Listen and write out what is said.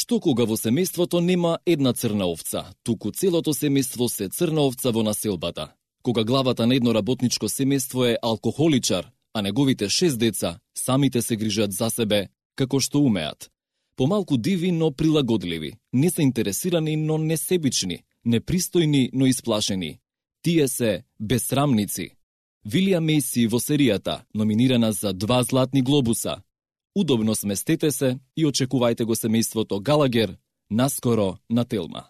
Што кога во семејството нема една црна овца, туку целото семејство се црна овца во населбата. Кога главата на едно работничко семејство е алкохоличар, а неговите 6 деца самите се грижат за себе како што умеат. Помалку диви, но прилагодливи, не се интересирани, но несебични, непристојни, но исплашени. Тие се безсрамници. Вилијам Мејси во серијата, номинирана за 2 златни глобуса. Удобно сместете се и очекувајте го семејството Галагер наскоро на Телма.